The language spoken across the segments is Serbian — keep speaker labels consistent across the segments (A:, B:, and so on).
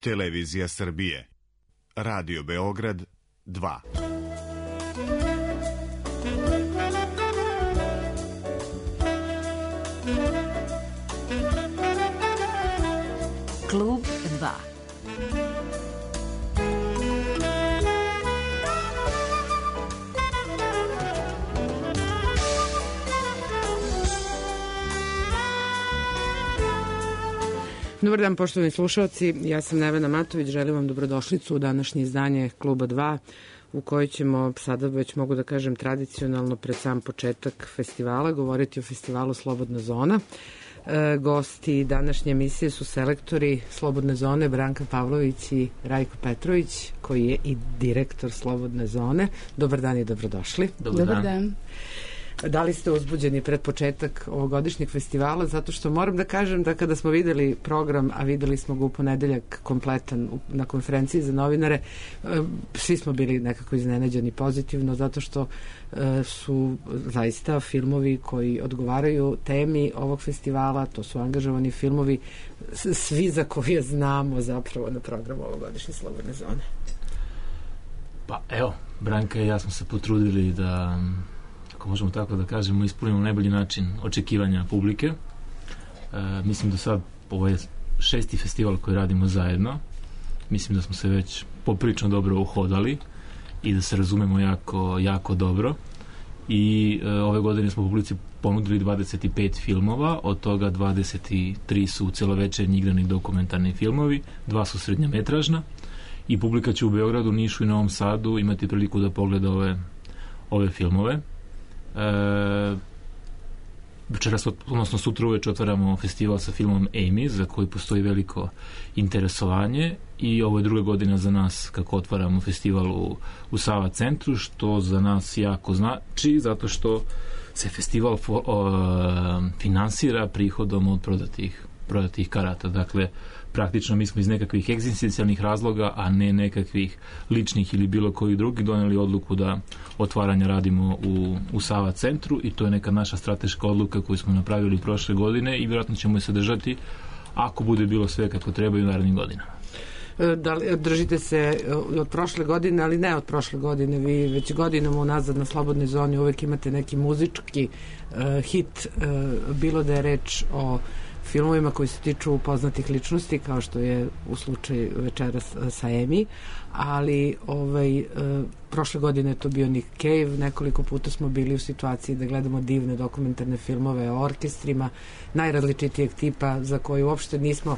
A: Televizija Srbije. Radio Beograd 2.
B: Klub 2.
C: Dobar dan, poštovani slušalci, ja sam Nevena Matović, želim vam dobrodošlicu u današnje izdanje Kluba 2, u kojoj ćemo, sada već mogu da kažem tradicionalno pred sam početak festivala, govoriti o festivalu Slobodna zona. Gosti današnje emisije su selektori Slobodne zone Branka Pavlović i Rajko Petrović, koji je i direktor Slobodne zone. Dobar dan i dobrodošli.
D: Dobar dan.
C: Da li ste uzbuđeni pred početak ovogodišnjeg festivala? Zato što moram da kažem da kada smo videli program, a videli smo ga u ponedeljak kompletan na konferenciji za novinare, svi smo bili nekako iznenađeni pozitivno, zato što su zaista filmovi koji odgovaraju temi ovog festivala, to su angažovani filmovi, svi za koje znamo zapravo na programu ovogodišnje Slobodne zone.
D: Pa evo, Branka i ja smo se potrudili da, ako možemo tako da kažemo, ispunimo na najbolji način očekivanja publike. Mislim da sad ovo je 6. festival koji radimo zajedno. Mislim da smo se već poprilično dobro uhodali i da se razumemo jako dobro. I ove godine smo publici ponudili 25 filmova, od toga 23 su celovečernji igrani dokumentarni filmovi, 2 su srednjometražna i publika će u Beogradu, Nišu i Novom Sadu imati priliku da pogleda ove filmove. Večeras, odnosno sutra uveče otvaramo festival sa filmom Amy, za koji postoji veliko interesovanje, i ovo je druga godina za nas kako otvaramo festival u Sava centru, što za nas jako znači, zato što se festival finansira prihodom od prodatih karata. Dakle, praktično mi smo iz nekakvih egzistencijalnih razloga, a ne nekakvih ličnih ili bilo koji drugi, doneli odluku da otvaranja radimo u Sava centru, i to je neka naša strateška odluka koju smo napravili prošle godine i vjerojatno ćemo je se držati ako bude bilo sve kako treba i u narednim godinama.
C: Da li držite se od prošle godine, ali ne od prošle godine, vi već godinama unazad na Slobodnoj zoni uvek imate neki muzički hit, bilo da je reč o filmovima koji se tiču poznatih ličnosti, kao što je u slučaju večeras sa Amy, ali prošle godine je to bio Nick Cave, nekoliko puta smo bili u situaciji da gledamo divne dokumentarne filmove o orkestrima najrazličitijeg tipa, za koje uopšte nismo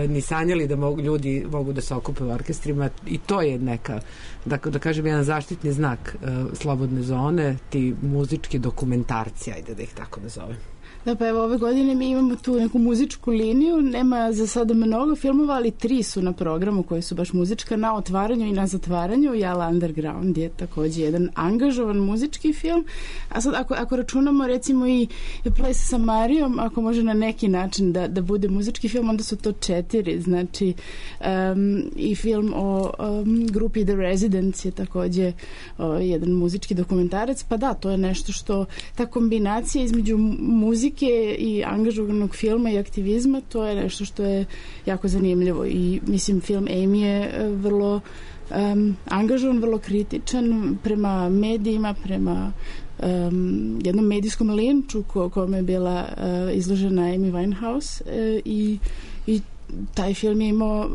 C: ni sanjali da ljudi mogu da se okupe u orkestrima, i to je neka, da kažem, jedan zaštitni znak Slobodne zone, ti muzički dokumentarci, ajde da ih tako nazovem.
E: Da, pa evo, ove godine mi imamo tu neku muzičku liniju, nema za sada mnogo filmova, ali 3 su na programu koji su baš muzička, na otvaranju i na zatvaranju. Jala Underground je takođe jedan angažovan muzički film, a sad ako računamo recimo i Ples sa Marijom, ako može na neki način da bude muzički film, onda su to 4, znači i film o grupi The Residents je takođe jedan muzički dokumentarac, pa da, to je nešto što, ta kombinacija između muzike i angažovanog filma i aktivizma, to je nešto što je jako zanimljivo, i mislim film Amy je vrlo angažovan, vrlo kritičan prema medijima, prema jednom medijskom linču kome je bila izložena Amy Winehouse, i taj film je imao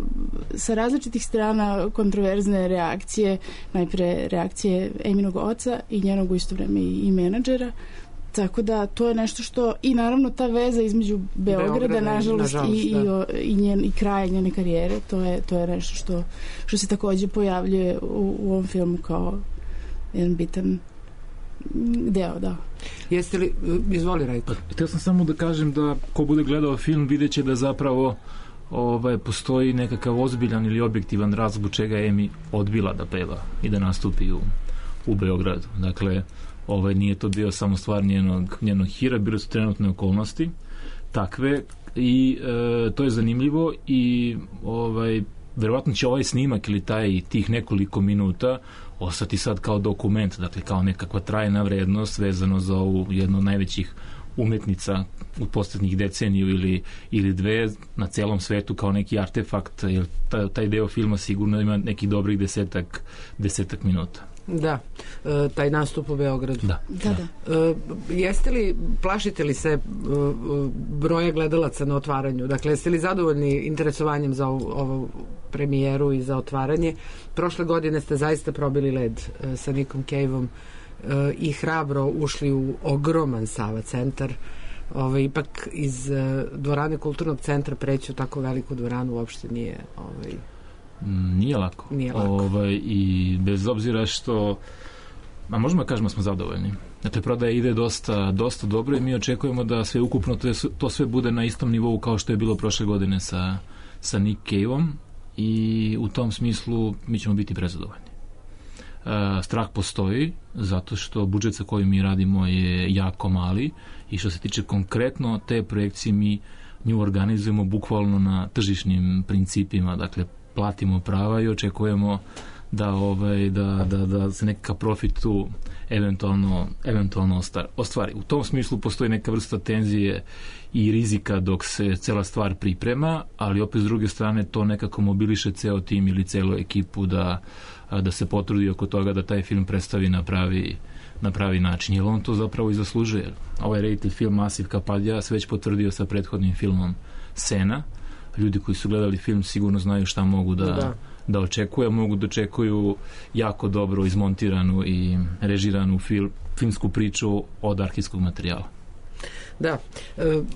E: sa različitih strana kontroverzne reakcije, najpre reakcije Amynog oca i njenog u isto vreme i menadžera. Tako da to je nešto što, i naravno ta veza između Beograda nažalost i kraja njene karijere, to je nešto što se takođe pojavljuje u ovom filmu kao jedan bitan deo, da.
C: Jeste li, izvoli Rajko?
D: Htio sam samo da kažem da ko bude gledao film vidjet će da zapravo postoji nekakav ozbiljan ili objektivan razlog zbog čega je Amy odbila da peva i da nastupi u Beogradu. Dakle, nije to bio samo stvar njenog hira, bile su trenutne okolnosti takve, i to je zanimljivo, i verovatno će ovaj snimak ili tih nekoliko minuta ostati sad kao dokument, dakle kao nekakva trajna vrednost vezano za ovu jednu od najvećih umetnica u posljednjih deceniju ili dve na celom svetu kao neki artefakt, jer taj deo filma sigurno ima nekih dobrih desetak minuta.
C: Da, taj nastup u Beogradu.
D: Da.
C: Plašite li se broja gledalaca na otvaranju? Dakle, jeste li zadovoljni interesovanjem za ovu premijeru i za otvaranje? Prošle godine ste zaista probili led sa Nickom Cave-om i hrabro ušli u ogroman Sava centar. Ipak iz dvorane Kulturnog centra preći u tako veliku dvoranu uopšte nije...
D: Nije lako. I bez obzira što možemo da kažemo smo zadovoljni. Dakle, prodaja ide dosta dobro i mi očekujemo da sve ukupno to sve bude na istom nivou kao što je bilo prošle godine sa Nick Cave-om i u tom smislu mi ćemo biti prezadovoljni. Strah postoji zato što budžet sa kojim mi radimo je jako mali i što se tiče konkretno te projekcije mi nju organizujemo bukvalno na tržišnim principima, dakle platimo prava i očekujemo da se nekakav profit tu eventualno ostvari. U tom smislu postoji neka vrsta tenzije i rizika dok se cela stvar priprema, ali opet s druge strane to nekako mobiliše ceo tim ili celu ekipu da se potrudi oko toga da taj film predstavi na pravi način, jer on to zapravo i zaslužuje. Ovaj reditelj film Asif Kapadija se već potvrdio sa prethodnim filmom Sena. Ljudi koji su gledali film sigurno znaju šta mogu da očekuju, mogu da očekuju jako dobro izmontiranu i režiranu filmsku priču od arhivskog materijala.
C: Da,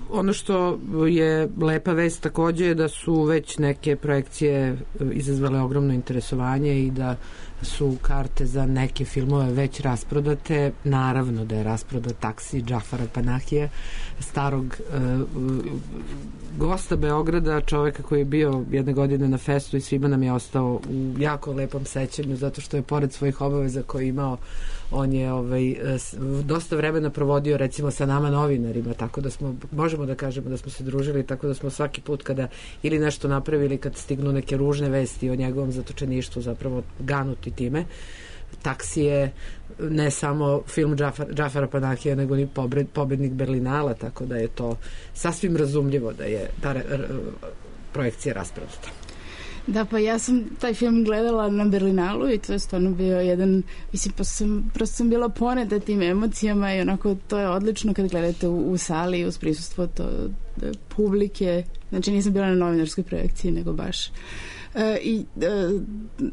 C: ono što je lepa vest takođe je da su već neke projekcije izazvale ogromno interesovanje i da su karte za neke filmove već rasprodate. Naravno da je rasprodat Taksi Džafara Panahija, starog gosta Beograda, čoveka koji je bio jedne godine na festu i svima nam je ostao u jako lepom sećanju zato što je pored svojih obaveza koje je imao, on je dosta vremena provodio recimo sa nama novinarima, tako da možemo da kažemo da smo se družili, tako da smo svaki put kada ili nešto napravili, kad stignu neke ružne vesti o njegovom zatočeništvu zapravo ganuti time. Taksi je ne samo film Džafara Panahija, nego i pobednik Berlinala, tako da je to sasvim razumljivo da je ta projekcija rasprodata.
E: Da, pa ja sam taj film gledala na Berlinalu i to je stvarno bio jedan, mislim, prosto sam bila poneta tim emocijama i onako to je odlično kad gledate u sali uz prisustvo publike, znači nisam bila na novinarskoj projekciji nego baš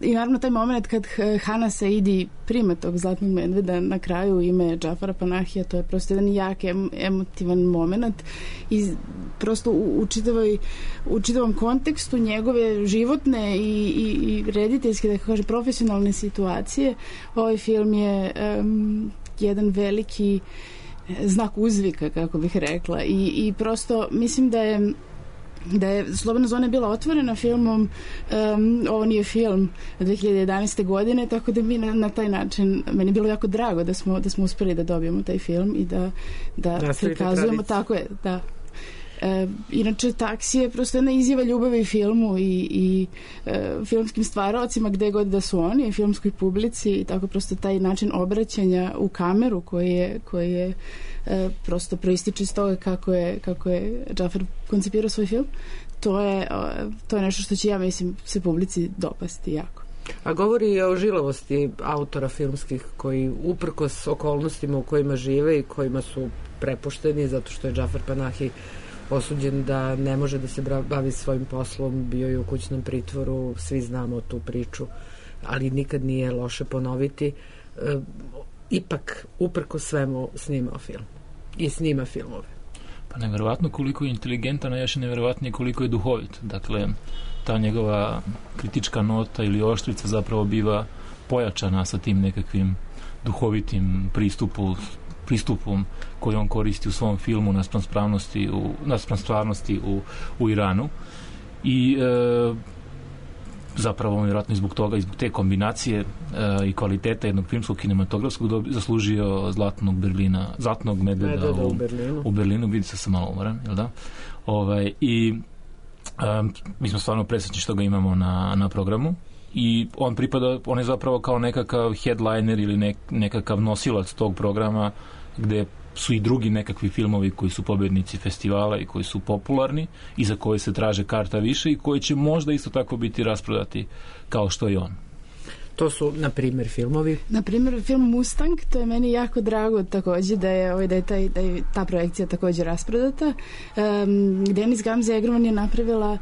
E: i naravno taj moment kad Hana Saidi prima tog Zlatnog medveda na kraju ime Džafara Panahija, to je prosto jedan jak emotivan moment i prosto u čitavom kontekstu njegove životne i rediteljske, da kaže, profesionalne situacije. Ovaj film je jedan veliki znak uzvika, kako bih rekla, i prosto mislim da je Slobodna zona bila otvorena filmom, ovo nije film 2011. godine, tako da mi na taj način, meni je bilo jako drago da smo uspeli da dobijemo taj film i da prikazujemo, tako je, da. Inače, Taksi je prosto jedna izjava ljubavi filmu i filmskim stvaraocima gde god da su oni, i filmskoj publici, i tako prosto taj način obraćanja u kameru koji je prosto proističe iz toga kako je Džafar koncipirao svoj film. To je nešto što će, ja mislim, se publici dopasti jako.
C: A govori i o žilavosti autora filmskih koji uprkos okolnostima u kojima žive i kojima su prepušteni zato što je Džafar Panahi osuđen da ne može da se bavi svojim poslom, bio je u kućnom pritvoru, svi znamo tu priču, ali nikad nije loše ponoviti. Ipak, uprkos svemu, snimao film i snima filmove.
D: Pa neverovatno koliko je inteligentan, a još je neverovatnije koliko je duhovit. Dakle, ta njegova kritička nota ili oštrica zapravo biva pojačana sa tim nekakvim duhovitim pristupom koji on koristi u svom filmu naspram stvarnosti u Iranu. I zapravo vjerojatno zbog toga i zbog te kombinacije i kvaliteta jednog filmskog kinematografskog zaslužio Zlatnog medveda u Berlinu. Vidi se, sam malo umoran, jel da? I mi smo stvarno presrećni što ga imamo na programu i on je zapravo kao nekakav headliner ili nekakav nosilac tog programa gde su i drugi nekakvi filmovi koji su pobednici festivala i koji su popularni i za koje se traže karta više i koji će možda isto tako biti rasprodati kao što je on.
C: To su, na primjer, filmovi?
E: Na primjer, film Mustang, to je meni jako drago također da je ta projekcija također rasprodata. Denis Gamze Egrman je napravila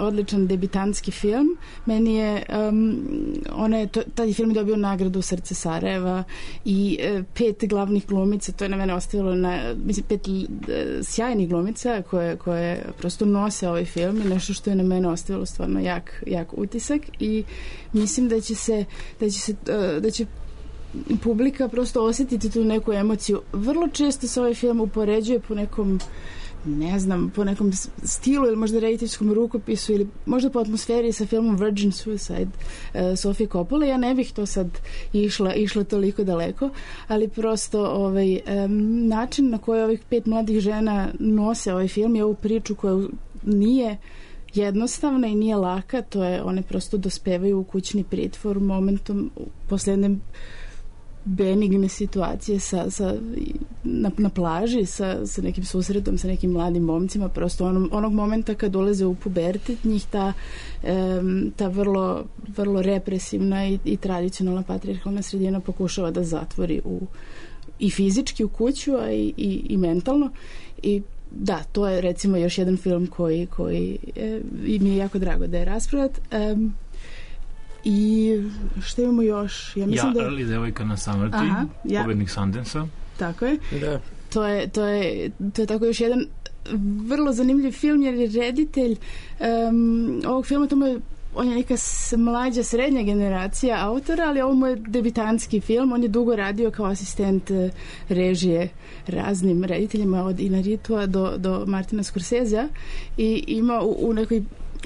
E: odličan debitantski film. Meni je taj film je dobio nagradu Srce Sarajeva i 5 glavnih glumica, to je na mene ostavilo 5 sjajnih glumica koje prosto nose ovaj film i nešto što je na mene ostavilo stvarno jak utisak i mislim da će publika prosto osjetiti tu neku emociju. Vrlo često se ovaj film upoređuje po nekom stilu ili možda rediteljskom rukopisu ili možda po atmosferi sa filmom Virgin Suicide Sofije Coppole. Ja ne bih to sad išla toliko daleko, ali prosto način na koji ovih 5 mladih žena nose ovaj film i ovu priču koja nije jednostavna i nije laka, to je one prosto dospevaju u kućni pritvor momentom posle jedne benigne situacije na plaži sa nekim susretom, sa nekim mladim momcima, prosto onog momenta kad ulaze u pubertet, njih ta vrlo represivna i tradicionalna patrijarhalna sredina pokušava da zatvori i fizički u kuću, a i mentalno. I da, to je recimo još jedan film koji mi je jako drago da je rasprodat. I što imamo još? Ja mislim
D: ali devojka na samrti, pobednik Sundance-a.
E: Tako je.
C: Da.
E: To je tako još jedan vrlo zanimljiv film, jer je reditelj ovog filma, on je neka mlađa srednja generacija autora, ali ovo mu je debitantski film. On je dugo radio kao asistent režije raznim rediteljima od Inaritua do Martina Scorsesea i ima u nekoj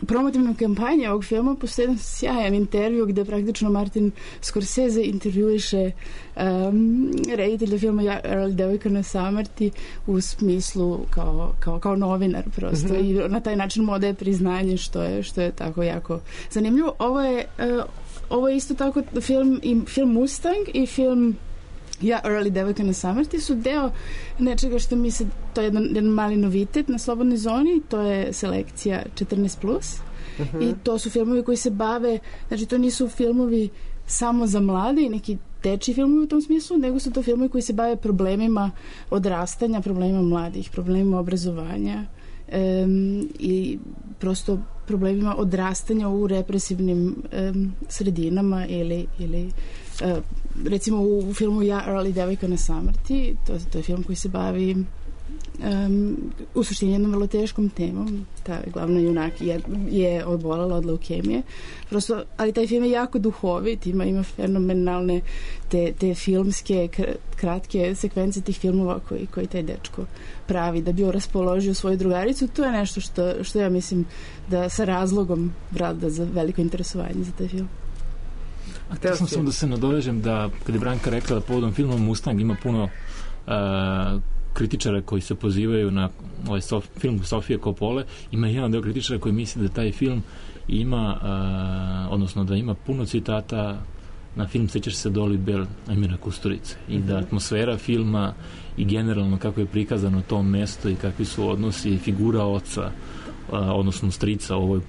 E: promotivnom kampanji ovog filma postoji jedan sjajan intervju gde praktično Martin Scorsese intervjuiše reditelja filma Devojka na samrti u smislu kao novinar prosto i na taj način mu odaje priznanje što je tako jako zanimljivo. Ovo je isto tako film Mustang i film Early Devojka na samrti su deo nečega što mi se, to je jedan mali novitet na Slobodnoj zoni, to je selekcija 14+. I to su filmovi koji se bave, znači to nisu filmovi samo za mlade i neki dečji filmovi u tom smislu, nego su to filmovi koji se bave problemima odrastanja, problemima mladih, problemima obrazovanja i prosto problemima odrastanja u represivnim sredinama ili recimo u filmu Early Devojka na samrti, to je film koji se bavi u suštini jednom vrlo teškom temom. Ta glavna junak je obolala od leukemije. Prosto, ali taj film je jako duhovit, ima fenomenalne te filmske kratke sekvence tih filmova koji taj dečko pravi da bi raspoložio svoju drugaricu. To je nešto što ja mislim da sa razlogom vrada za veliko interesovanje za taj film.
D: A htio sam samo da se nadovežem da kada je Branka rekla da povodom filma Mustang ima puno kritičara koji se pozivaju na ovaj film Sofije Coppole, ima jedan deo kritičara koji misli da taj film ima odnosno da ima puno citata na film Sećaš se Dolly Bell Emira Kusturice i da atmosfera filma i generalno kako je prikazano to mesto i kakvi su odnosi figura oca odnosno strica u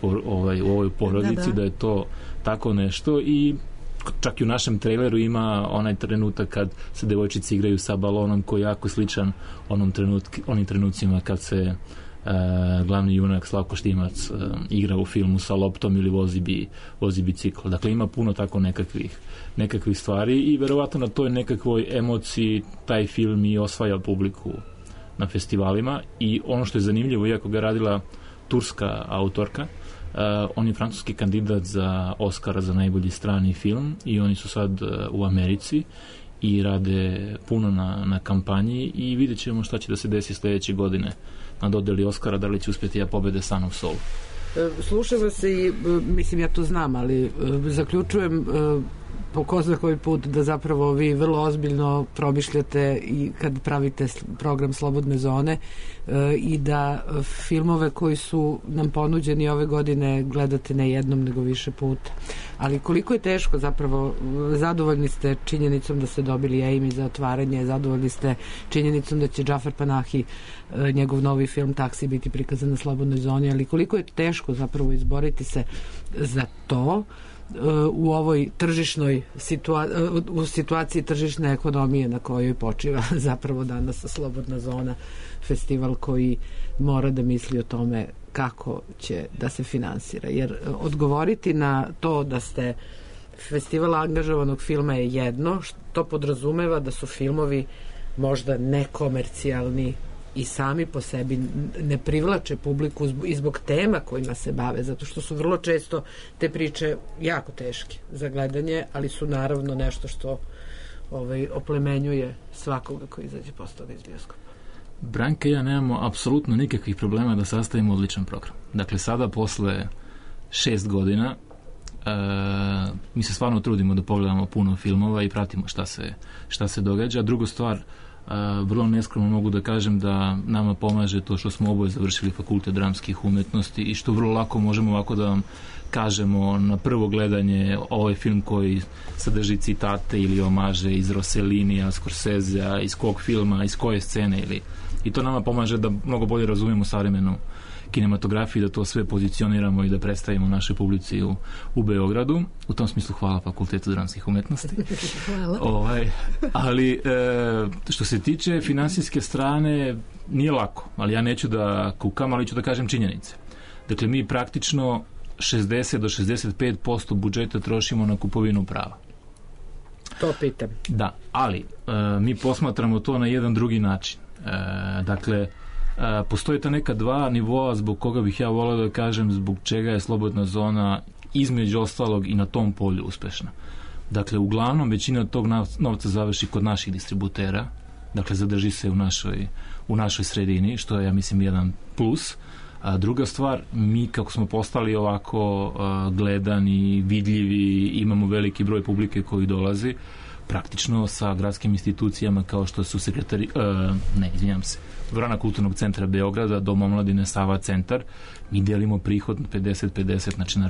D: ovoj porodici, da je to tako nešto i čak i u našem traileru ima onaj trenutak kad se devojčice igraju sa balonom koji je jako sličan onim trenucima kad se glavni junak Slavko Štimac igra u filmu sa loptom ili vozi bicikl. Dakle, ima puno tako nekakvih stvari i verovatno na toj nekakvoj emociji taj film i osvaja publiku na festivalima i ono što je zanimljivo, iako ga radila turska autorka, on je francuski kandidat za Oscara za najbolji strani film i oni su sad u Americi i rade puno na kampanji i vidjet ćemo šta će da se desi sljedeće godine na dodeli Oscara, da li će uspjeti da pobede Son of Soul.
C: Slušava se i, mislim ja to znam, ali zaključujem po ko zna koji put da zapravo vi vrlo ozbiljno promišljate i kad pravite program Slobodne zone i da filmove koji su nam ponuđeni ove godine gledate ne jednom nego više puta. Ali koliko je teško zapravo, zadovoljni ste činjenicom da ste dobili Amy za otvaranje, zadovoljni ste činjenicom da će Džafer Panahi, njegov novi film Taksi, biti prikazan na Slobodnoj zoni, ali koliko je teško zapravo izboriti se za to u ovoj tržišnoj u situaciji tržišne ekonomije na kojoj počiva zapravo danas Slobodna zona, festival koji mora da misli o tome kako će da se finansira. Jer odgovoriti na to da ste festival angažovanog filma je jedno, što podrazumeva da su filmovi možda nekomercijalni i sami po sebi ne privlače publiku i zbog tema kojima se bave, zato što su vrlo često te priče jako teške za gledanje, ali su naravno nešto što oplemenjuje svakoga koji izađe posle toga iz bioskopa.
D: Branka i ja nemamo apsolutno nikakvih problema da sastavimo odličan program. Dakle, sada posle 6 godina mi se stvarno trudimo da pogledamo puno filmova i pratimo šta se događa. Druga stvar, vrlo neskromno mogu da kažem da nama pomaže to što smo oboje završili fakultet dramskih umetnosti i što vrlo lako možemo ovako da vam kažemo na prvo gledanje ovaj film koji sadrži citate ili omaže iz Rossellinija, Scorsesea, iz kog filma, iz koje scene i to nama pomaže da mnogo bolje razumemo savremenu kinematografiju, da to sve pozicioniramo i da predstavimo našoj publici u Beogradu. U tom smislu hvala Fakultetu dramskih umetnosti.
E: Hvala.
D: Ali što se tiče finansijske strane, nije lako, ali ja neću da kukam, ali ću da kažem činjenice. Dakle, mi praktično 60 do 65% budžeta trošimo na kupovinu prava.
C: To pitam.
D: Da, ali mi posmatramo to na jedan drugi način. Dakle, postoje ta neka dva nivoa zbog koga bih ja voleo da kažem zbog čega je Slobodna zona između ostalog i na tom polju uspešna. Dakle, uglavnom većina tog novca završi kod naših distributera, dakle zadrži se u našoj sredini, što je, ja mislim, jedan plus. A druga stvar, mi kako smo postali ovako gledani, vidljivi, imamo veliki broj publike koji dolazi, praktično sa gradskim institucijama kao što su Dvorana kulturnog centra Beograda, Dom omladine Sava centar, mi delimo prihod 50-50, znači na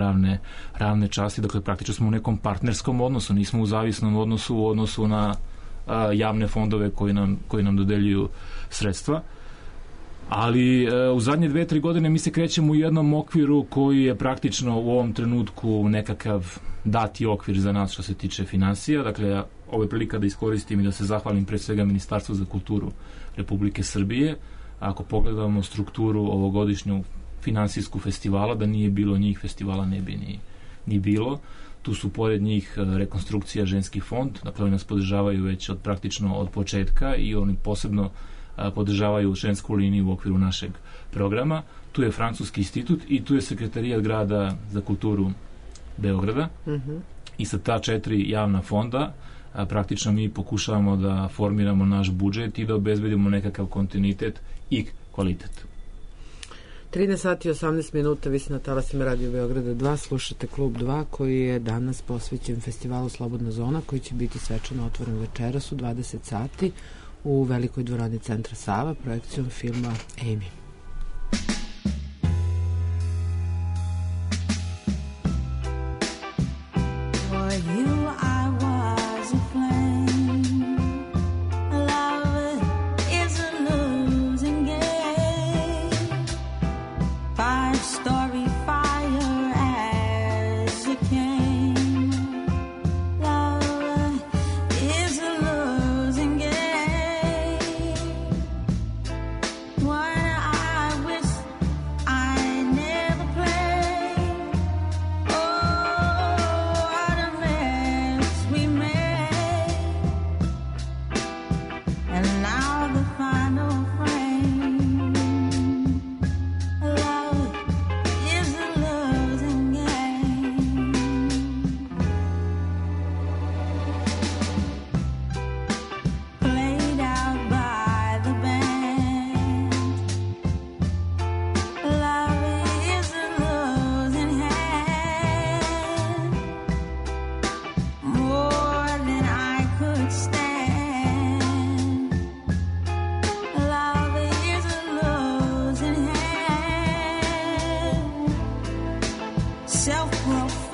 D: ravne časti, dakle praktično smo u nekom partnerskom odnosu, nismo u zavisnom odnosu u odnosu na javne fondove koji nam dodeljuju sredstva. Ali u zadnje 2-3 godine mi se krećemo u jednom okviru koji je praktično u ovom trenutku nekakav dati okvir za nas što se tiče finansija. Dakle, ovo je prilika da iskoristim i da se zahvalim pre svega Ministarstvu za kulturu Republike Srbije. Ako pogledamo strukturu ovogodišnju finansijsku festivala, da nije bilo njih, festivala ne bi ni bilo. Tu su pored njih rekonstrukcija Ženski fond, dakle oni nas podržavaju već praktično od početka i oni posebno podržavaju žensku liniju u okviru našeg programa. Tu je Francuski institut i tu je Sekretarijat grada za kulturu Beograda. I sa ta 4 javna fonda praktično mi pokušavamo da formiramo naš budžet i da obezbedimo nekakav kontinuitet i kvalitet.
C: 13 sati i 18 minuta, vi ste na talasima Radio Beograda 2, slušate Klub 2 koji je danas posvećen festivalu Slobodna zona koji će biti svečano otvoren večeras u 20 sati u velikoj dvorani centra Sava projekcijom filma Amy.
B: What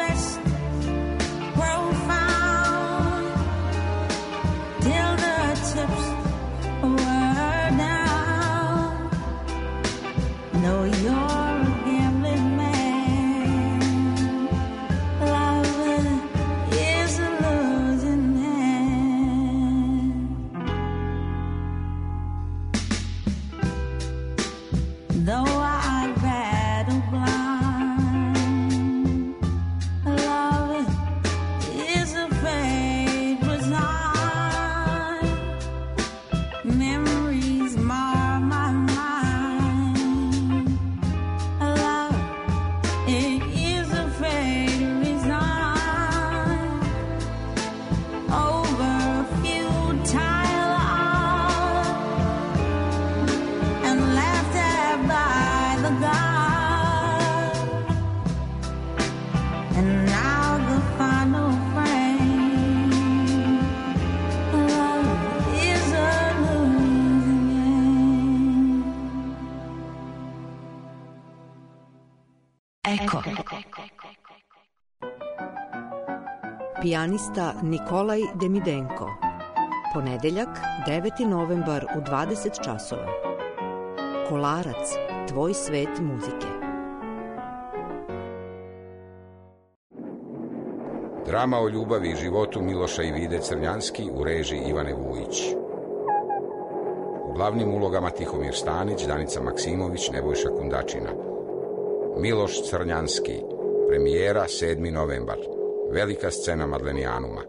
B: rest profound till the chips were down. No, you're a gambling man. Love is a losing hand. Though I battle blind, love is a fate resigned. Memories mar my mind. Love, it is a fate resigned. Over a futile hour and laughed at by the God. And now the final frame. Love is a losing game.
F: Eko. Pijanista Nikolaj Demidenko. Ponedeljak, 9. novembar u 20 časova. Kolarac, tvoj svet muzike.
G: Drama o ljubavi i životu Miloša i Vide Crnjanski u režiji Ivane Vujić. U glavnim ulogama Tihomir Stanić, Danica Maksimović, Nebojša Kundačina. Miloš Crnjanski, premijera 7. novembar. Velika scena Madlenijanuma.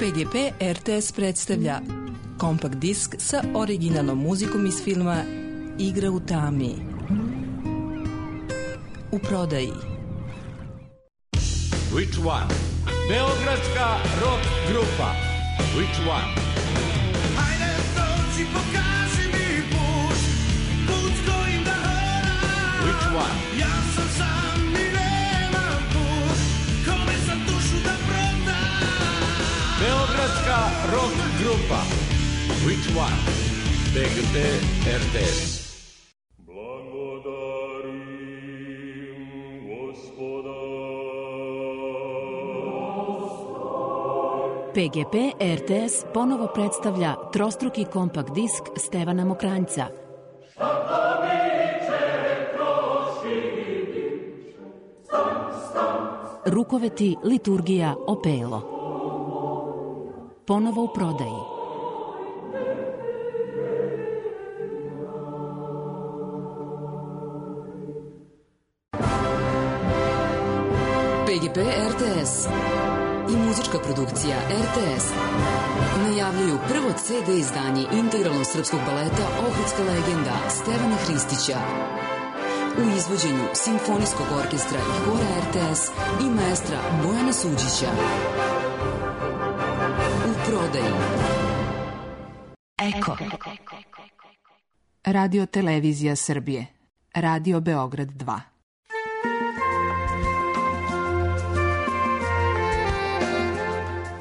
H: PGP RTS predstavlja kompakt disk sa originalnom muzikom iz filma Igra u tami. U prodaji.
I: Which one? Beogradska rock grupa. Which one?
B: Hajde dođi, pokaži mi put, put kojim da hodam.
I: Which one?
B: Ja sam sam i nemam put, kome sam dušu da prodam.
I: Beogradska rock grupa. Which one? PGP RTS.
J: PGP RTS ponovo predstavlja trostruki kompakt disk Stevana Mokranjca. Rukoveti, liturgija, opelo. Ponovo u prodaji.
K: PGP RTS i muzička produkcija RTS najavljuju prvo CD izdanje integralnog srpskog baleta Ohridska legenda Stevana Hristića u izvođenju Simfonijskog orkestra i hora RTS i maestra Bojana Suđića. U prodaji.
J: Eko. Radio Televizija Srbije. Radio Beograd 2.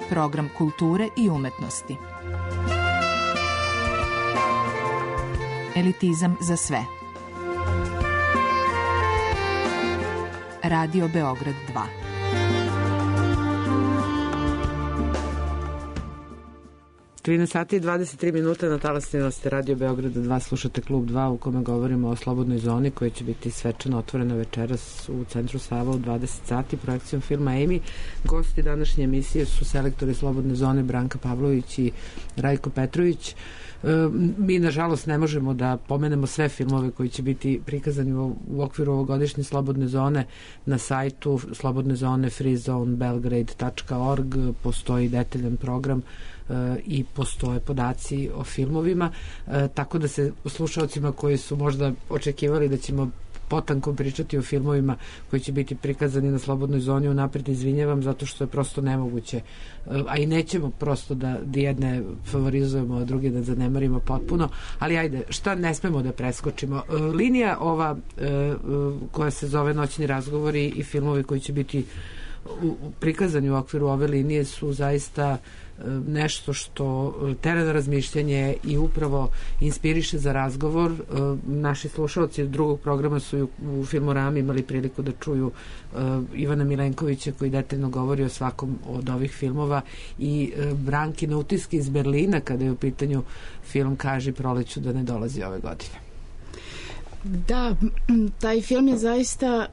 J: Program kulture i umetnosti. Elitizam za sve. Radio Beograd 2.
C: Sati i 23 minuta na talasnima ste Radio Beograda 2, slušate Klub 2 u kome govorimo o slobodnoj zoni koja će biti svečano otvorena večeras u Centru Sava u 20 sati projekcijom filma Amy. Gosti današnje emisije su selektori slobodne zone Branka Pavlović i Rajko Petrović. Mi nažalost ne možemo da pomenemo sve filmove koji će biti prikazani u okviru ovogodišnje slobodne zone. Na sajtu slobodne zone freezonebelgrade.org postoji detaljan program i postoje podaci o filmovima, tako da se slušalcima koji su možda očekivali da ćemo potanko pričati o filmovima koji će biti prikazani na Slobodnoj zoni, unapred izvinjavam, zato što je prosto nemoguće, a i nećemo prosto da jedne favorizujemo, a druge da zanemarimo potpuno, ali ajde, šta ne smemo da preskočimo? Linija ova koja se zove Noćni razgovori i filmovi koji će biti prikazani u okviru ove linije su zaista nešto što tera na razmišljanje i upravo inspiriše za razgovor. Naši slušalci drugog programa su u Filmorami imali priliku da čuju Ivana Milenkovića koji detaljno govori o svakom od ovih filmova i Brankine utiske iz Berlina kada je u pitanju film Kaži proleću da ne dolazi ove godine.
E: Da, taj film je zaista,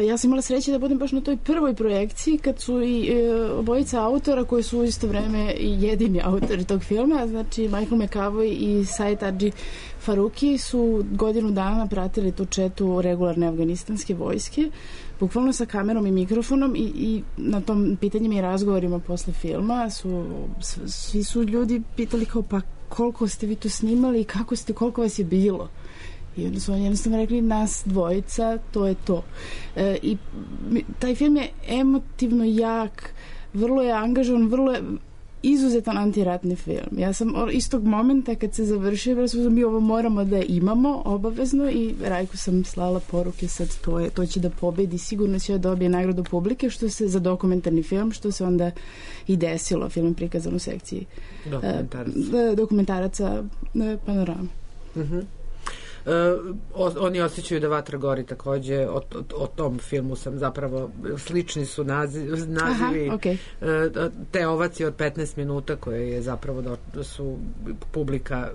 E: ja sam imala sreće da budem baš na toj prvoj projekciji kad su i obojica autora koji su u isto vreme i jedini autori tog filma, znači Michael McAvoy i Said Hadži Faruki su godinu dana pratili tu četu regularne afganistanske vojske, bukvalno sa kamerom i mikrofonom i na tom pitanjima i razgovorima posle filma svi su ljudi pitali kao pa koliko ste vi to snimali i koliko vas je bilo. I onda su oni jednostavno rekli nas dvojica, to je to. I taj film je emotivno jak, vrlo je angažovan, vrlo je izuzetan antiratni film. Ja sam istog momenta kad se završio, mi ovo moramo da imamo obavezno i Rajku sam slala poruke sad to će da pobedi, sigurno će da dobije nagradu publike što se za dokumentarni film, što se onda i desilo, film prikazan u sekciji dokumentaraca Panorama.
C: Oni osjećaju da vatra gori takođe, o tom filmu sam zapravo, slični su nazivi.
E: Aha, okay.
C: Te ovacije od 15 minuta koje je zapravo da su publika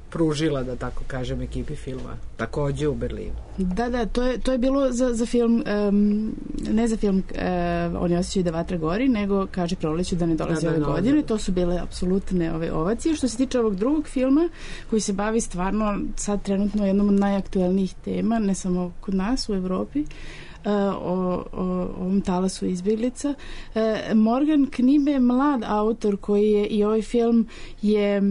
C: pružila, da tako kažem, ekipi filma, takođe u Berlinu.
E: Da, to je bilo za film, ne za film Oni osjećaju da vatra gori, nego Kaže proleću da ne dolazi ove godine. To su bile apsolutne ove ovacije. Što se tiče ovog drugog filma, koji se bavi stvarno sad trenutno jednom od najaktuelnijih tema, ne samo kod nas u Evropi, o ovom talasu izbjeglica. Morgan Knibe je mlad autor koji je i ovaj film je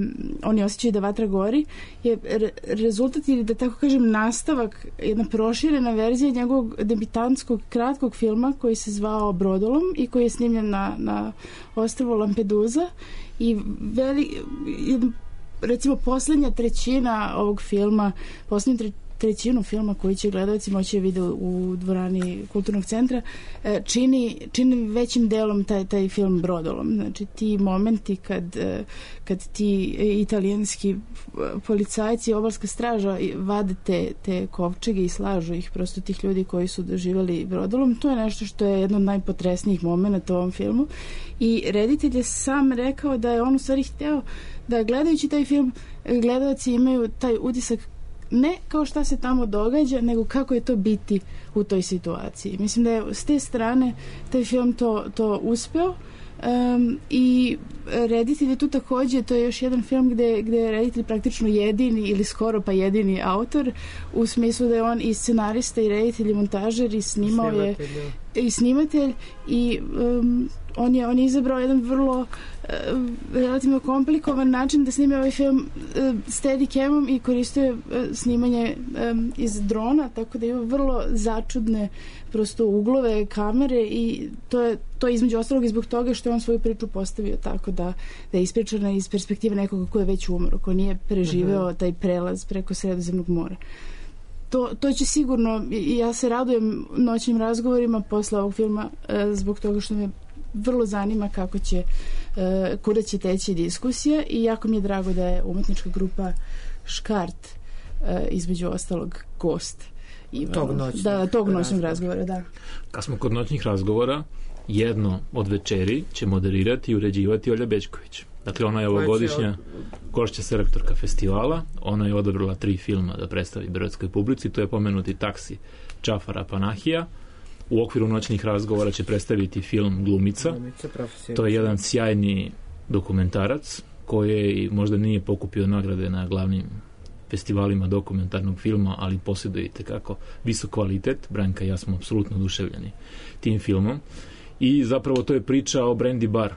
E: Oni osjećaju da vatra gori je rezultat ili da tako kažem nastavak, jedna proširena verzija njegovog debitantskog kratkog filma koji se zvao Brodolom i koji je snimljen na ostrvu Lampedusa i recimo poslednja trećina ovog filma, trećinu filma koji će gledalci moći vidjeti u dvorani Kulturnog centra čini većim delom taj film Brodolom. Znači ti momenti kad ti italijanski policajci, obalska straža vade te kovčege i slažu ih, prosto tih ljudi koji su doživjeli Brodolom, to je nešto što je jedno od najpotresnijih momenta u ovom filmu i reditelj je sam rekao da je on u stvari hteo da gledajući taj film gledalci imaju taj utisak ne kao šta se tamo događa, nego kako je to biti u toj situaciji. Mislim da je s te strane taj film to uspeo i reditelj je tu takođe, to je još jedan film gde je reditelj praktično jedini ili skoro pa jedini autor, u smislu da je on i scenarista i reditelj i montažer i snimao je i snimatelj i on je izabrao jedan vrlo relativno komplikovan način da snime ovaj film steadicamom i koristio snimanje iz drona, tako da ima vrlo začudne prosto uglove kamere i to je između ostalog i zbog toga što je on svoju priču postavio tako da je ispričana iz perspektive nekoga ko je već umro, ko nije preživeo taj prelaz preko Sredozemnog mora. To će sigurno, ja se radujem noćnim razgovorima posle ovog filma zbog toga što me vrlo zanima kuda će teći diskusija i jako mi je drago da je umetnička grupa Škart između ostalog gost tog noćnog razgovora. Da.
D: Kad smo kod noćnih razgovora, jedno od večeri će moderirati i uređivati Olja Bećković. Dakle, ona je ovogodišnja gošća selektorka festivala, ona je odabrala 3 filma da predstavi beogradskoj publici, to je pomenuti Taksi Džafara Panahija. U okviru noćnih razgovora će predstaviti film Glumica. To je jedan sjajni dokumentarac koji možda nije pokupio nagrade na glavnim festivalima dokumentarnog filma, ali posjedujete kako visok kvalitet. Branka i ja smo apsolutno oduševljeni tim filmom. I zapravo to je priča o Brandy Barr,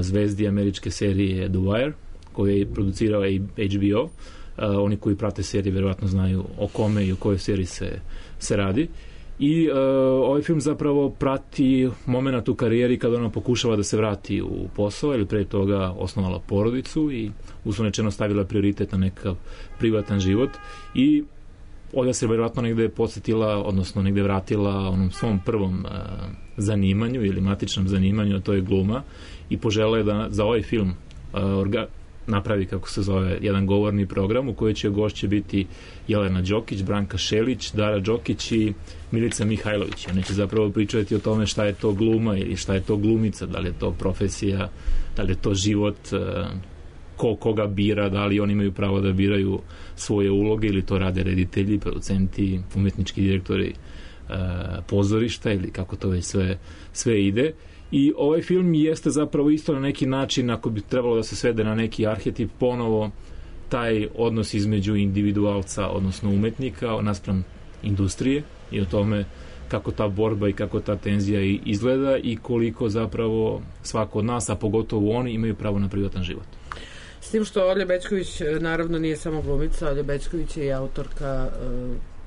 D: zvezdi američke serije The Wire, koju je producirao i HBO. Oni koji prate serije verovatno znaju o kome i o kojoj seriji se se radi. I ovaj film zapravo prati moment u karijeri kada ona pokušava da se vrati u posao, ili pre toga osnovala porodicu i uslovno stavila prioritet na nekakav privatan život, i Olja se vjerojatno negde podsjetila, odnosno negde vratila onom svom prvom zanimanju ili matičnom zanimanju, a to je gluma, i požela je da za ovaj film napravi, kako se zove, jedan govorni program u kojoj će gošće biti Jelena Đokić, Branka Šelić, Dara Đokić i Milica Mihajlović. Oni će zapravo pričati o tome šta je to gluma ili šta je to glumica, da li je to profesija, da li je to život, koga bira, da li oni imaju pravo da biraju svoje uloge ili to rade reditelji, producenti, umetnički direktori pozorišta ili kako to već sve ide. I ovaj film jeste zapravo isto na neki način, ako bi trebalo da se svede na neki arhetip, ponovo taj odnos između individualca, odnosno umetnika, naspram industrije, i o tome kako ta borba i kako ta tenzija izgleda i koliko zapravo svako od nas, a pogotovo oni, imaju pravo na privatan život.
C: S tim što Olja Bećković naravno nije samo glumica, Olja Bećković je i autorka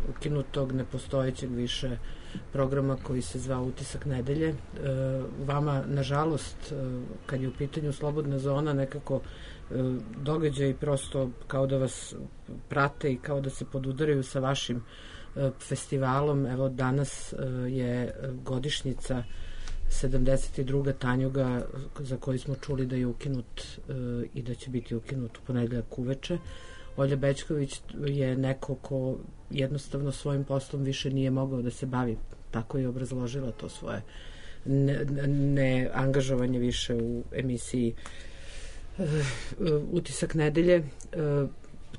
C: ukinutog, nepostojećeg više programa koji se zvao Utisak nedelje. Vama, nažalost, kad je u pitanju Slobodna zona, nekako događaj prosto kao da vas prate i kao da se podudaraju sa vašim festivalom. Evo, danas je godišnjica 72. Tanjuga, za koji smo čuli da je ukinut i da će biti ukinut u ponedeljak uveče. Olja Bećković je neko ko jednostavno svojim poslom više nije mogao da se bavi. Tako je obrazložila to svoje neangažovanje više u emisiji Utisak nedelje.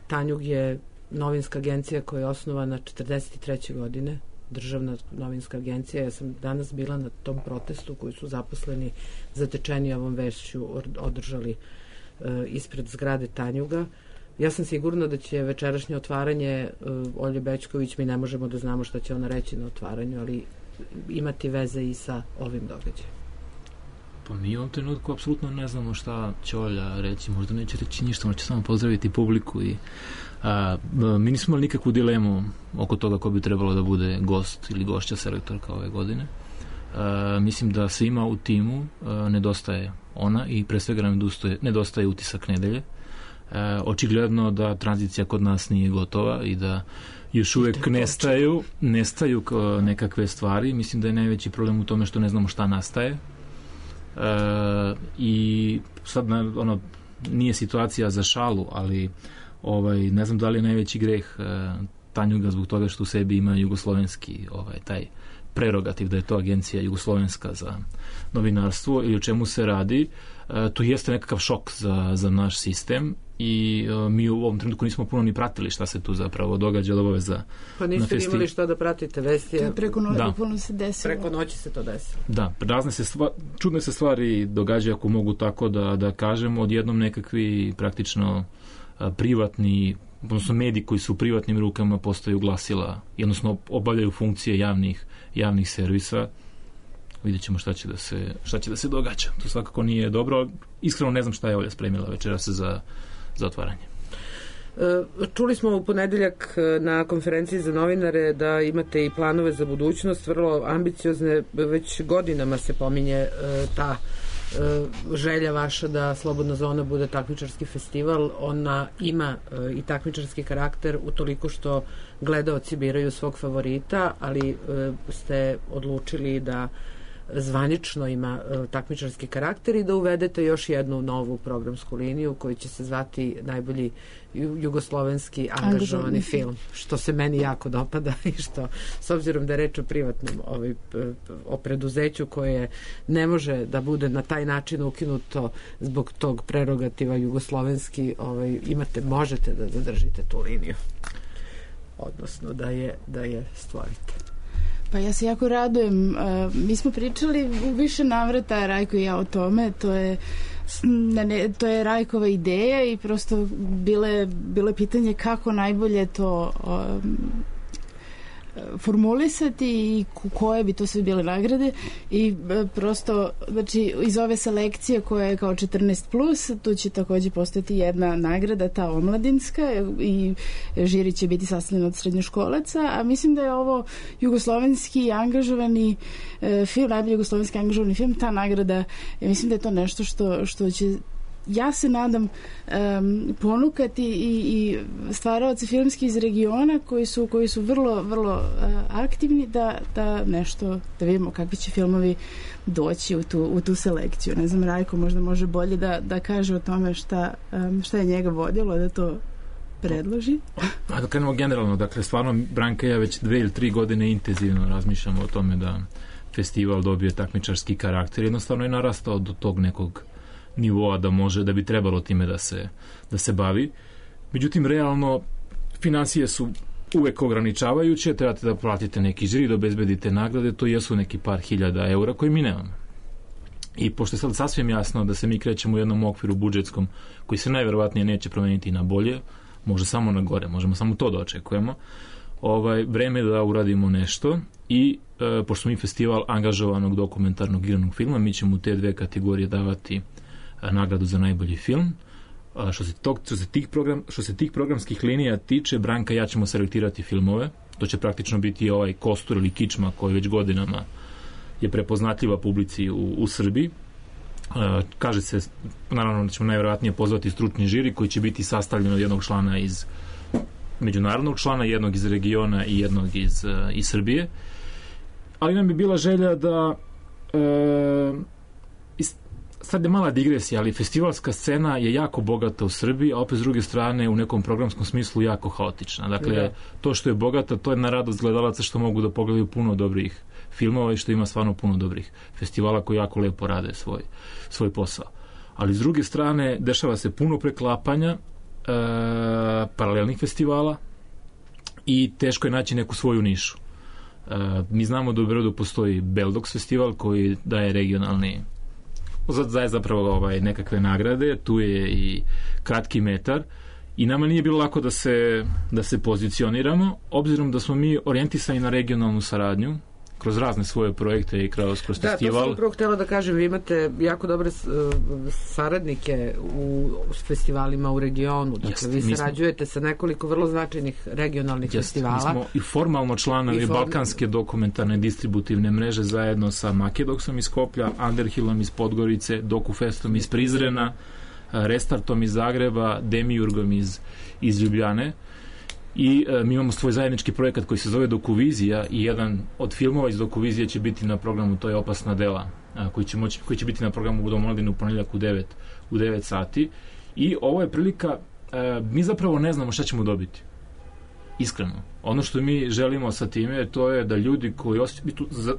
C: Tanjug je novinska agencija koja je osnovana 43. godine, državna novinska agencija. Ja sam danas bila na tom protestu koji su zaposleni zatečeni ovom vešću održali ispred zgrade Tanjuga. Ja sam sigurna da će večerašnje otvaranje Olje Bećković, mi ne možemo da znamo šta će ona reći na otvaranju, ali imati veze i sa ovim događajem.
D: Pa mi u ovom trenutku apsolutno ne znamo šta će Olja reći, možda neće reći ništa, ona će samo pozdraviti publiku i mi nismo imali nikakvu dilemu oko toga ko bi trebalo da bude gost ili gošća selektorka ove godine. Mislim da svima u timu nedostaje ona i pre svega nam nedostaje Utisak nedelje. Očigledno da tranzicija kod nas nije gotova i da još uvek nestaju nekakve stvari. Mislim da je najveći problem u tome što ne znamo šta nastaje. I sad nije situacija za šalu, ali ne znam da li je najveći greh Tanjuga zbog toga što u sebi ima jugoslovenski taj prerogativ da je to agencija jugoslovenska za novinarstvo ili o čemu se radi. To jeste nekakav šok za naš sistem i mi u ovom trenutku nismo puno ni pratili šta se tu zapravo događa od obaveza.
C: Pa niste imali šta da pratite vesti.
E: Preko noći se desilo.
C: Preko noći se to desilo.
D: Da, čudne se stvari događaju, ako mogu tako da kažem, odjednom nekakvi praktično privatni, odnosno mediji koji su u privatnim rukama postaju glasila, odnosno obavljaju funkcije javnih servisa. Vidjet ćemo šta će da se događa. To svakako nije dobro. Iskreno ne znam šta je Olja spremila večeras za otvaranje.
C: Čuli smo u ponedeljak na konferenciji za novinare da imate i planove za budućnost, vrlo ambiciozne, već godinama se pominje ta želja vaša da Slobodna zona bude takmičarski festival. Ona ima i takmičarski karakter utoliko što gledaoci biraju svog favorita, ali ste odlučili da zvanično ima takmičarski karakter i da uvedete još jednu novu programsku liniju koji će se zvati najbolji jugoslovenski angažovani film, što se meni jako dopada i što, s obzirom da je reč o privatnom o preduzeću koje ne može da bude na taj način ukinuto zbog tog prerogativa jugoslovenski, možete da zadržite tu liniju, odnosno da je stvorite.
E: Pa ja se jako radujem. Mi smo pričali u više navrata, Rajko i ja, o tome. To je Rajkova ideja i prosto bilo je pitanje kako najbolje to formulisati i koje bi to sve bile nagrade i prosto, znači, iz ove selekcije koja je kao 14+, tu će takođe postojati jedna nagrada, ta omladinska, i žiri će biti sastavljena od srednjoškolaca, a mislim da je ovo jugoslovenski angažovani film, najbolji jugoslovenski angažovani film, ta nagrada, mislim da je to nešto što će, ja se nadam, ponukati i stvaraoci filmski iz regiona koji su vrlo, vrlo aktivni da nešto, da vidimo kakvi će filmovi doći u tu selekciju. Ne znam, Rajko možda može bolje da kaže o tome šta je njega vodilo da to predloži.
D: Da krenemo generalno, dakle, stvarno Branka i ja već 2 ili 3 godine intenzivno razmišljamo o tome da festival dobije takmičarski karakter. Jednostavno je narastao do tog nekog nivoa da bi trebalo time da se bavi. Međutim, realno, financije su uvek ograničavajuće, trebate da platite neki žiri, da obezbedite nagrade, to jesu neki par hiljada eura koje mi nemamo. I pošto je sad sasvim jasno da se mi krećemo u jednom okviru budžetskom koji se najverovatnije neće promeniti na bolje, može samo na gore, možemo samo to da očekujemo, vreme je da uradimo nešto i pošto mi festival angažovanog dokumentarnog igranog filma, mi ćemo u te 2 kategorije davati nagradu za najbolji film. Što se tih programskih linija tiče, Branka i ja ćemo selektirati filmove. To će praktično biti ovaj kostur ili kičma koji već godinama je prepoznatljiva publici u Srbiji. Kaže se, naravno da ćemo najverovatnije pozvati stručni žiri koji će biti sastavljen od jednog člana iz međunarodnog člana, jednog iz regiona i jednog iz Srbije. Ali nam bi bila želja da sad je mala digresija, ali festivalska scena je jako bogata u Srbiji, a opet s druge strane u nekom programskom smislu jako haotična. Dakle, to što je bogata, to je na radost gledalaca što mogu da pogledaju puno dobrih filmova i što ima stvarno puno dobrih festivala koji jako lepo rade svoj posao. Ali s druge strane, dešava se puno preklapanja paralelnih festivala i teško je naći neku svoju nišu. Mi znamo da u Beogradu postoji Beldox festival koji daje regionalni, daje zapravo nekakve nagrade, tu je i Kratki metar i nama nije bilo lako da se pozicioniramo, obzirom da smo mi orijentisani na regionalnu saradnju kroz razne svoje projekte i kroz festival.
C: Da, to sam upravo htjela da kažem, vi imate jako dobre saradnike u festivalima u regionu. Dakle, vi sarađujete sa nekoliko vrlo značajnih regionalnih festivala.
D: Mi smo i formalno članovi Balkanske dokumentarne distributivne mreže zajedno sa Makedoksom iz Skoplja, Underhillom iz Podgorice, Dokufestom iz Prizrena, Restartom iz Zagreba, Demiurgom iz Ljubljane. I mi imamo svoj zajednički projekat koji se zove Dokuvizija i jedan od filmova iz Dokuvizije će biti na programu To je opasna dela, koji će biti na programu u Dom omladine u ponedeljak u 9 sati. I ovo je prilika, mi zapravo ne znamo šta ćemo dobiti. Iskreno. Ono što mi želimo sa time, to je da ljudi koji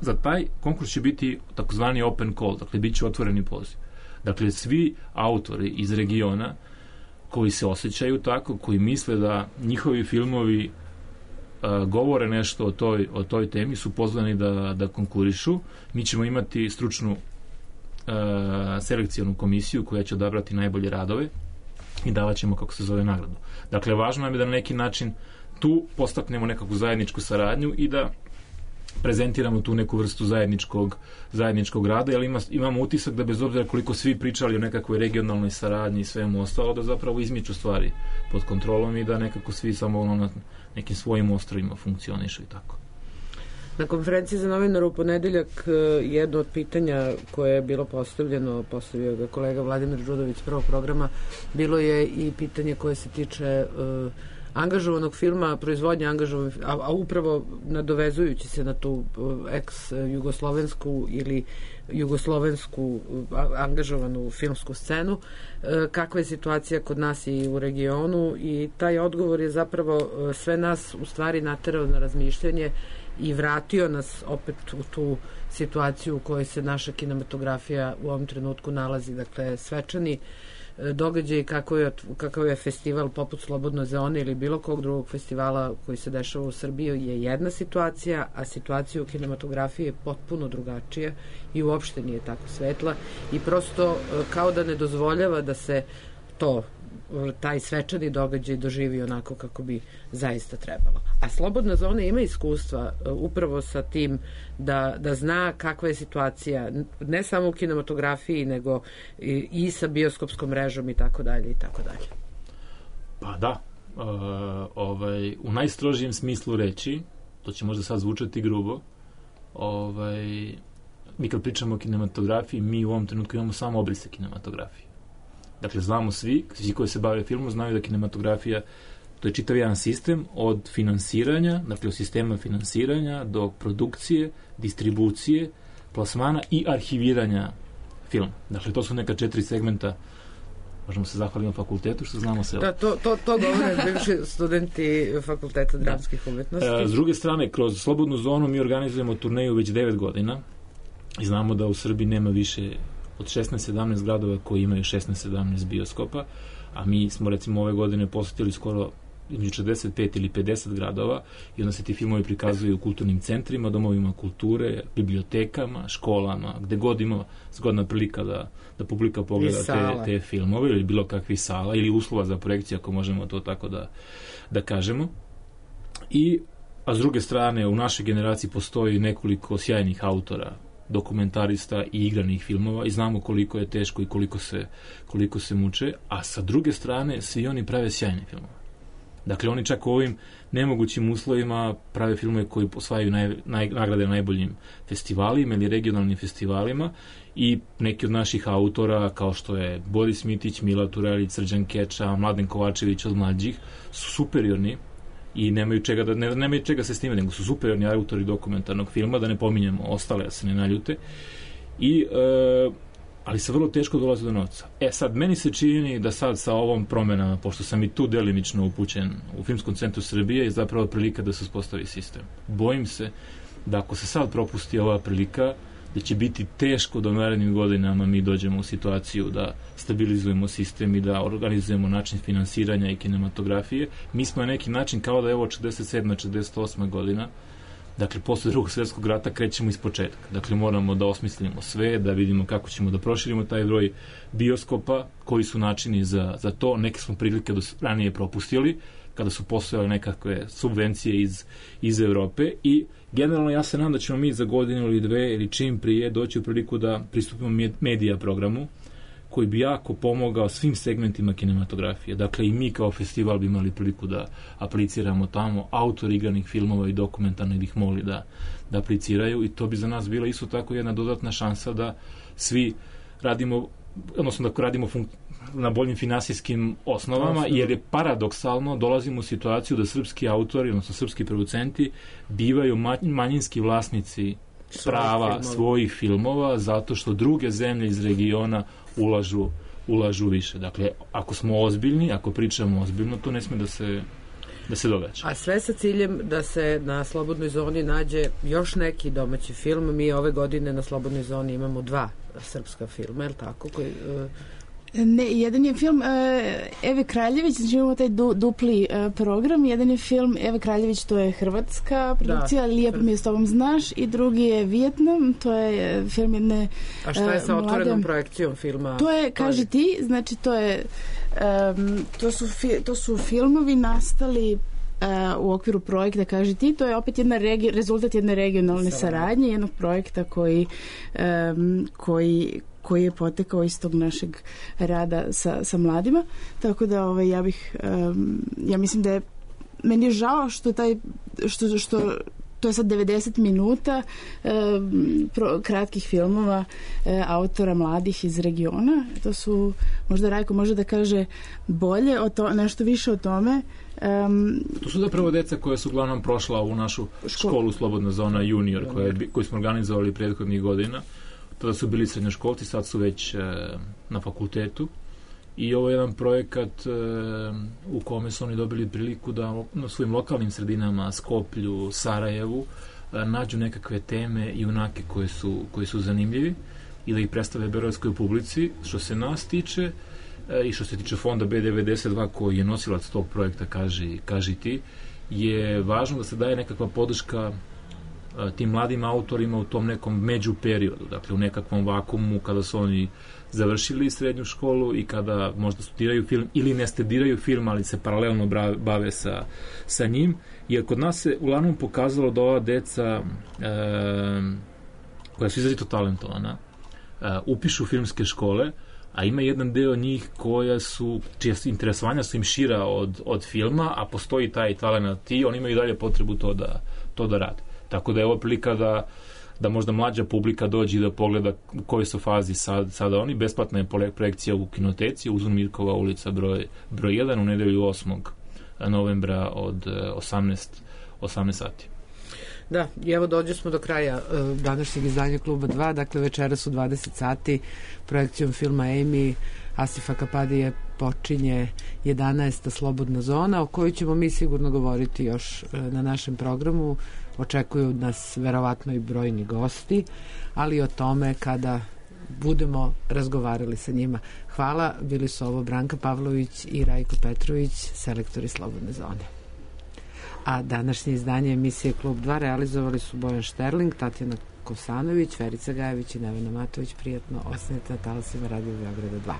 D: za taj konkurs će biti takozvani open call, dakle bit će otvoreni poziv. Dakle, svi autori iz regiona koji se osjećaju tako, koji misle da njihovi filmovi govore nešto o toj temi, su pozvani da konkurišu. Mi ćemo imati stručnu selekcijonu komisiju koja će odabrati najbolje radove i davat ćemo, kako se zove, nagradu. Dakle, važno nam je da na neki način tu postaknemo nekakvu zajedničku saradnju i da prezentiramo tu neku vrstu zajedničkog rada, jer imamo utisak da bez obzira koliko svi pričali o nekakvoj regionalnoj saradnji i svemu ostalo, da zapravo izmiču stvari pod kontrolom i da nekako svi samo na nekim svojim ostrovima funkcionišu i tako.
C: Na konferenciji za novinara u ponedeljak jedno od pitanja koje je bilo postavio ga kolega Vladimir Đudović prvog programa, bilo je i pitanje koje se tiče angažovanog filma, proizvodnje angažovanog, a upravo nadovezujući se na tu ex-jugoslovensku ili jugoslovensku angažovanu filmsku scenu, kakva je situacija kod nas i u regionu, i taj odgovor je zapravo sve nas u stvari naterao na razmišljanje i vratio nas opet u tu situaciju u kojoj se naša kinematografija u ovom trenutku nalazi. Dakle, svečani događaj kakav je festival poput Slobodne zone ili bilo kog drugog festivala koji se dešava u Srbiji je jedna situacija, a situacija u kinematografiji je potpuno drugačija i uopšte nije tako svetla i prosto kao da ne dozvoljava da se taj svečani događaj doživi onako kako bi zaista trebalo. A Slobodna zona ima iskustva upravo sa tim da zna kakva je situacija ne samo u kinematografiji nego i sa bioskopskom mrežom i tako dalje i tako dalje.
D: Pa da, u najstrožijem smislu reći, to će možda sad zvučati grubo, mi kad pričamo o kinematografiji, mi u ovom trenutku imamo samo obrise kinematografije. Dakle, znamo svi koji se bave filmom, znaju da kinematografija, to je čitav jedan sistem od finansiranja, dakle od sistema finansiranja do produkcije, distribucije, plasmana i arhiviranja filma. Dakle, to su neka 4 segmenta. Možemo se zahvaliti na fakultetu što znamo sve.
C: Da, to govore bivši studenti Fakulteta dramskih umetnosti.
D: S druge strane, kroz Slobodnu zonu mi organizujemo turneju već 9 godina i znamo da u Srbiji nema više od 16-17 gradova koji imaju 16-17 bioskopa, a mi smo recimo ove godine posjetili skoro između 45 ili 50 gradova i onda se ti filmovi prikazuju u kulturnim centrima, domovima kulture, bibliotekama, školama, gde god ima zgodna prilika da publika pogleda te filmove ili bilo kakvih sala ili uslova za projekciju, ako možemo to tako da kažemo. A s druge strane, u našoj generaciji postoji nekoliko sjajnih autora, dokumentarista i igranih filmova i znamo koliko je teško i koliko se muče, a sa druge strane svi oni prave sjajne filmove. Dakle, oni čak u ovim nemogućim uslovima prave filmove koji osvajaju nagrade na najboljim festivalima ili regionalnim festivalima i neki od naših autora, kao što je Boris Mitić, Mila Turelić, Srđan Keča, Mladen Kovačević od mlađih, su superiorni i nemaju čega se snime, nego su superiorni autori dokumentarnog filma, da ne pominjemo ostale, da se ne naljute. Ali se vrlo teško dolazi do novca. Sad, meni se čini da sad sa ovom promenama, pošto sam i tu delimično upućen u Filmskom centru Srbije, je zapravo prilika da se uspostavi sistem. Bojim se da ako se sad propusti ova prilika, da će biti teško da u narednim godinama mi dođemo u situaciju da stabilizujemo sistem i da organizujemo način finansiranja i kinematografije. Mi smo na neki način kao da je ovo 47. 48. godina. Dakle, posle Drugog svjetskog rata krećemo iz početka. Dakle, moramo da osmislimo sve, da vidimo kako ćemo da proširimo taj broj bioskopa, koji su načini za to. Neke smo prilike ranije propustili, kada su postojale nekakve subvencije iz Evrope i generalno ja se nadam da ćemo mi za godinu ili dve ili čim prije doći u priliku da pristupimo medija programu koji bi jako pomogao svim segmentima kinematografije. Dakle, i mi kao festival bi imali priliku da apliciramo tamo, autori igranih filmova i dokumentarnih bi ih mogli da apliciraju i to bi za nas bila isto tako jedna dodatna šansa da svi radimo, odnosno da radimo na boljim finansijskim osnovama, jer je paradoksalno, dolazimo u situaciju da srpski autori, odnosno srpski producenti, bivaju manjinski vlasnici prava svojih filmova, zato što druge zemlje iz regiona ulažu više. Dakle, ako smo ozbiljni, ako pričamo ozbiljno, to ne sme da se događa.
C: A sve sa ciljem da se na Slobodnoj zoni nađe još neki domaći film. Mi ove godine na Slobodnoj zoni imamo 2 srpska filma, je li tako?
E: Ne, jedan je film Eve Kraljević, znači imamo taj dupli program, jedan je film Eve Kraljević, to je hrvatska produkcija, Lijepo mi je s tobom znaš, i drugi je Vijetnam, to je film jedne
C: A šta je sa otvorenom projekcijom filma?
E: To je, kaži ti, znači to su filmovi nastali u okviru projekta Kaži ti, to je opet rezultat jedne regionalne saradnje, jednog projekta koji je potekao iz tog našeg rada sa mladima, tako da ja mislim da je meni je žao što to je sad 90 minuta kratkih filmova autora mladih iz regiona. To su, možda Rajko može da kaže bolje nešto više o tome.
D: To su zapravo deca koja su uglavnom prošla u našu školu Slobodna zona junior koju smo organizovali prethodnih godina. Tada su bili srednjoškolci, sad su već na fakultetu i ovo je jedan projekat u kome su oni dobili priliku da na svojim lokalnim sredinama, Skoplju, Sarajevu, nađu nekakve teme i junake koji su zanimljivi i da ih predstave beogradskoj publici. Što se nas tiče i što se tiče fonda B92 koji je nosilac tog projekta Kaži ti, je važno da se daje nekakva podrška tim mladim autorima u tom nekom među periodu, dakle u nekakvom vakumu kada su oni završili srednju školu i kada možda studiraju film ili ne studiraju film, ali se paralelno bave sa njim, jer kod nas se uglavnom pokazalo da ova deca koja su izrazito talentovana upišu filmske škole, a ima jedan deo njih čija interesovanja su im šira od filma, a postoji taj talent i oni imaju dalje potrebu to da rade. Tako da je ovo prilika da možda mlađa publika dođe i da pogleda u kojoj su fazi sada oni. Besplatna je projekcija u kinoteci, Uzun Mirkova ulica broj 1 u nedelju 8. novembra od 18 sati.
C: Da, i evo dođe smo do kraja današnjeg izdanja Kluba 2, dakle večeras u 20 sati projekcijom filma Amy Asifa Kapadije počinje 11. slobodna zona, o kojoj ćemo mi sigurno govoriti još na našem programu. Očekuju nas verovatno i brojni gosti, ali o tome kada budemo razgovarali sa njima. Hvala, bili su ovo Branka Pavlović i Rajko Petrović, selektori Slobodne zone. A današnje izdanje emisije Klub 2 realizovali su Bojan Šterling, Tatjana Kosanović, Verica Gajević i Nevena Matović. Prijatno ostanite na talasima Radio Beograda 2.